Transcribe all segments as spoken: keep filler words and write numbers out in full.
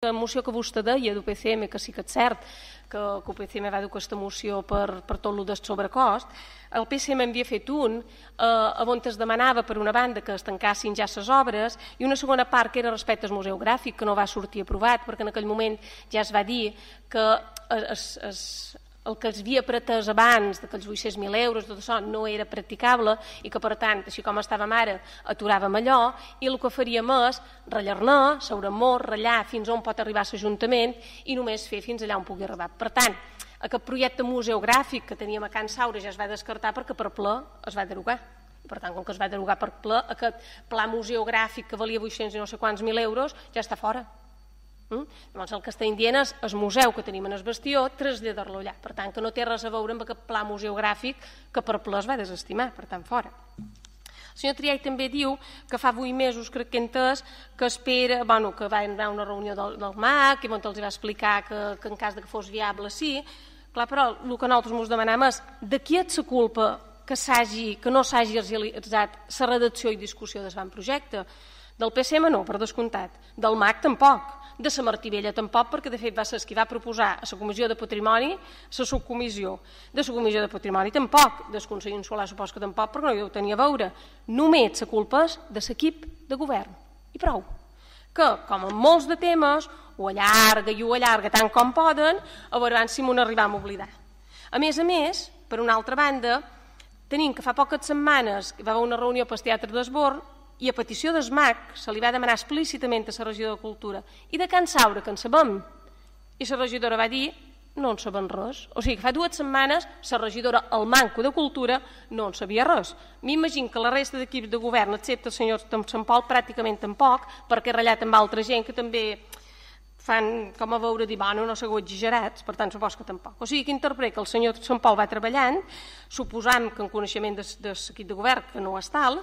La moció que vostè deia d'U P C M, que sí que és cert que, que U P C M va dur aquesta moció per, per tot el del sobrecost, el P C M havia fet un eh, on es demanava per una banda que es tancassin ja les obres i una segona part que era respecte al Museu Gràfic, que no va sortir aprovat perquè en aquell moment ja es va dir que es, es, el que es havia pretès abans d'aquells vuit-cents mil euros, tot això no era practicable i que per tant, així com estàvem ara, aturàvem allò i el que faríem és rellar-ne, seure molt, ratllar fins on pot arribar l'Ajuntament i només fer fins allà on pugui arribar. Per tant, aquest projecte museogràfic que teníem a Can Saura ja es va descartar perquè per ple es va derogar. Per tant, com que es va derogar per ple, aquest pla museogràfic que valia vuit-cents i no sé quants mil euros ja està fora. Mm? Llavors el que estem dient és el museu que tenim en el bastió, traslladar-lo allà. Per tant, que no té res a veure amb aquest pla museogràfic que per ple es va desestimar, per tant, fora. El senyor Triay també diu que fa vuit mesos, crec que entès, que espera, bueno, que va anar a una reunió del, del M A C i on els va explicar que, que en cas de que fos viable sí. Clar, però el que nosaltres ens demanem és de qui és la culpa que, que no s'hagi realitzat la redacció i discussió del projecte? Del P C M no, per descomptat. Del M A C tampoc. De la Martí Vella tampoc, perquè de fet va ser qui va proposar a la Comissió de Patrimoni la subcomissió. De la Comissió de Patrimoni tampoc, del Consell Insular supos que tampoc, perquè no hi ho tenia a veure. Només la culpa és de l'equip de govern. I prou. Que, com en molts de temes, ho allarga i ho allarga tant com poden, a veure si m'ho n'arribam a oblidar. A més a més, per una altra banda, tenim que fa poques setmanes que va haver una reunió pel Teatre d'Esborn i a petició del M A C se li va demanar explícitament a la regidora de Cultura i de Can Saura, que en sabem, i la regidora va dir no en sabem res. O sigui que fa dues setmanes la regidora, el manco de Cultura, no en sabia res. M'imagino que la resta d'equips de govern, excepte el senyor Sant Pol, pràcticament tampoc, perquè he ratllat amb altra gent que també fan com a veure dir, bueno, no sigueu exagerats, per tant, supos que tampoc. O sigui que interpreta que el senyor Sant Pol va treballant, suposant que en coneixement de, de l'equip de govern, que no és tal,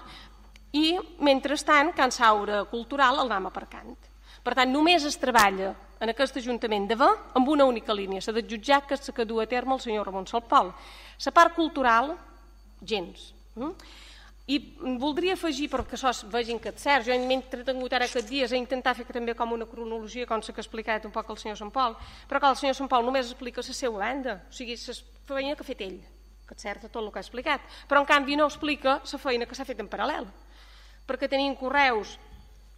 i, mentrestant, Can Saura Cultural el vam aparcant. Per tant, només es treballa en aquest Ajuntament de Ve amb una única línia, la de jutjar que és la que du a terme el senyor Ramon Salpol. La part cultural, gens. I voldria afegir, perquè això vegin que és cert, jo m'he entretingut ara aquests dies a intentar fer també com una cronologia, com s'ha explicat un poc el senyor Sant Pol, però que el senyor Sant Pol només explica la seva banda, o sigui, la feina que ha fet ell, que és cert tot el que ha explicat, però en canvi no explica la feina que s'ha fet en paral·lel, perquè tenim correus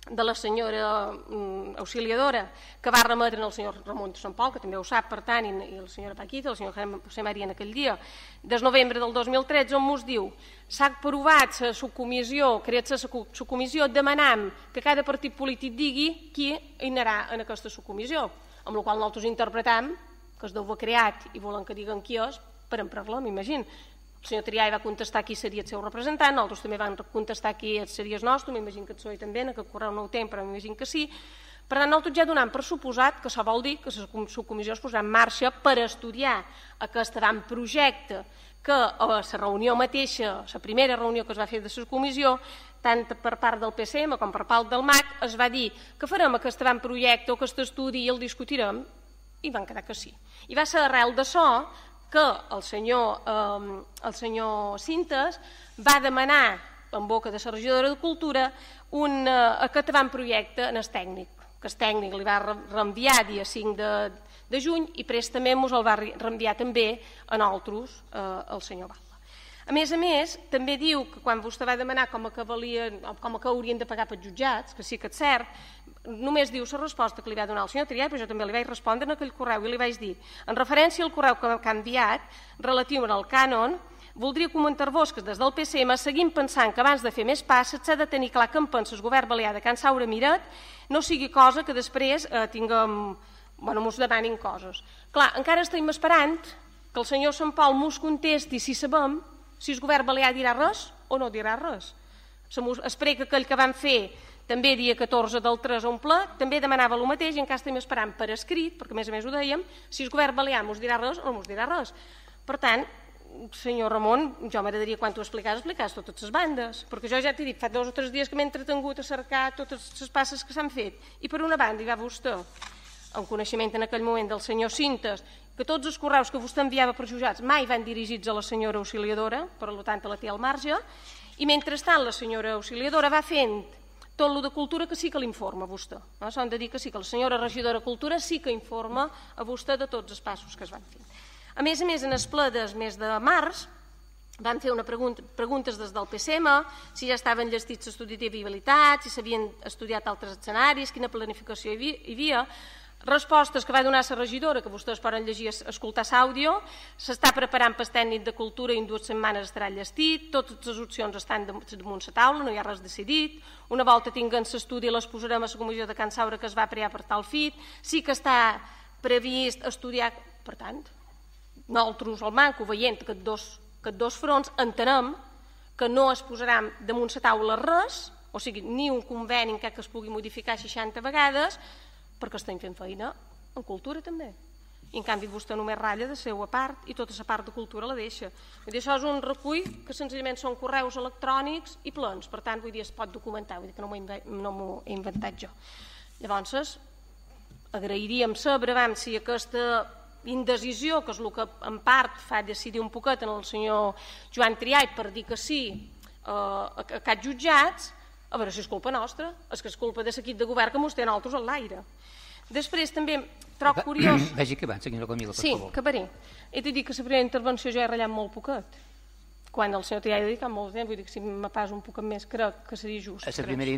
de la senyora mm, auxiliadora que va remetre al senyor Ramon Sant Pol, que també ho sap, per tant, i, i la senyora Paquita, el senyor José María en aquell dia, des novembre del dos mil tretze, on ens diu s'ha aprovat la subcomissió, creat la subcomissió, demanant que cada partit polític digui qui hi anirà en aquesta subcomissió, amb la qual nosaltres interpretam que es deu haver creat i volen que diguen qui és per emprar-la, m'imagino. El senyor Triay va contestar qui seria el seu representant, nosaltres també vam contestar qui seria el nostre, m'imagino que el P S O E també, en aquest correu no ho tenc, però m'imagino que sí. Per tant, nosaltres ja donem per suposat que això vol dir que la subcomissió es posarà en marxa per estudiar aquest avantprojecte que a la reunió mateixa, la primera reunió que es va fer de la comissió, tant per part del P C M com per part del M A C, es va dir que farem aquest avantprojecte o aquest estudi i el discutirem, i van quedar que sí. I va ser arrel d'això que el senyor, eh, el senyor Cintes va demanar, en boca de la regidora de Cultura, un, eh, aquest avantprojecte en el tècnic, que el tècnic li va reenviar dia cinc de, de juny i préstament ens el va reenviar també a nosaltres, eh, el senyor Val. A més a més, també diu que quan vostè va demanar com a que, valien, com a que haurien de pagar pels jutjats, que sí que és cert, només diu la resposta que li va donar el senyor Triay, però jo també li vaig respondre en aquell correu i li vaig dir, en referència al correu que ha enviat, relatiu al cànon, voldria comentar-vos que des del P C M seguim pensant que abans de fer més passes s'ha de tenir clar que en pensa el govern balear de Can Saura Miret no sigui cosa que després eh, tinguem, bueno, mos demanin coses. Clar, encara estem esperant que el senyor Sant Pol mos contesti si sabem si el govern balear dirà res o no dirà res. Espero que aquell que vam fer també dia catorze del tres a un ple, també demanava el mateix i encara estem esperant per escrit, perquè a més a més ho dèiem, si el govern balear mos dirà res o no mos dirà res. Per tant, senyor Ramon, jo m'agradaria quan t'ho explicaves, explicaves totes les bandes, perquè jo ja t'he dit, fa dos o tres dies que m'he entretingut a cercar totes les passes que s'han fet. I per una banda hi va vostè, en coneixement en aquell moment del senyor Cintes, que tots els correus que vostè enviava per jutjats mai van dirigits a la senyora auxiliadora, per tant la té al marge, i mentrestant la senyora auxiliadora va fent tot el de cultura que sí que l'informa a vostè. S'han de dir que sí, que la senyora regidora de Cultura sí que informa a vostè de tots els passos que es van fer. A més a més, en el ple del mes de març, van fer una pregunta, preguntes des del P C M, si ja estaven llestits l'estudi de viabilitat, si s'havien estudiat altres escenaris, quina planificació hi havia. Respostes que va donar la regidora, que vostès poden llegir, escoltar l'àudio. S'està preparant per tècnic de cultura i en dues setmanes estarà llestit. Totes les opcions estan damunt la taula, no hi ha res decidit. Una volta tinguem l'estudi les posarem a la comissió de Can Saura que es va crear per tal fit. Sí que està previst estudiar, per tant, nosaltres al manco, veient que dos, que dos fronts, entenem que no es posaran damunt la taula res, o sigui, ni un conveni en què es pugui modificar seixanta vegades, perquè estem fent feina en cultura també. I en canvi vostè només ratlla de seva part i tota la part de cultura la deixa. Vull dir, això és un recull que senzillament són correus electrònics i plens, per tant, vull dir, es pot documentar, vull dir que no m'ho he inventat jo. Llavors, agrairíem saber si aquesta indecisió, que és el que en part fa decidir un poquet en el senyor Joan Triay per dir que sí a aquests jutjats, a veure si és culpa nostra, és que és culpa de l'equip de govern que mos té nosaltres a l'aire. Després també trobo curiós... Vagi que van, senyora Camila, per sí, favor. Sí, acabaré. He de dir que la primera intervenció jo he ratllat molt poquet. Quan el senyor Triay ha dedicat molt temps, vull dir que si me pas un poquet més crec que seria just. A la primera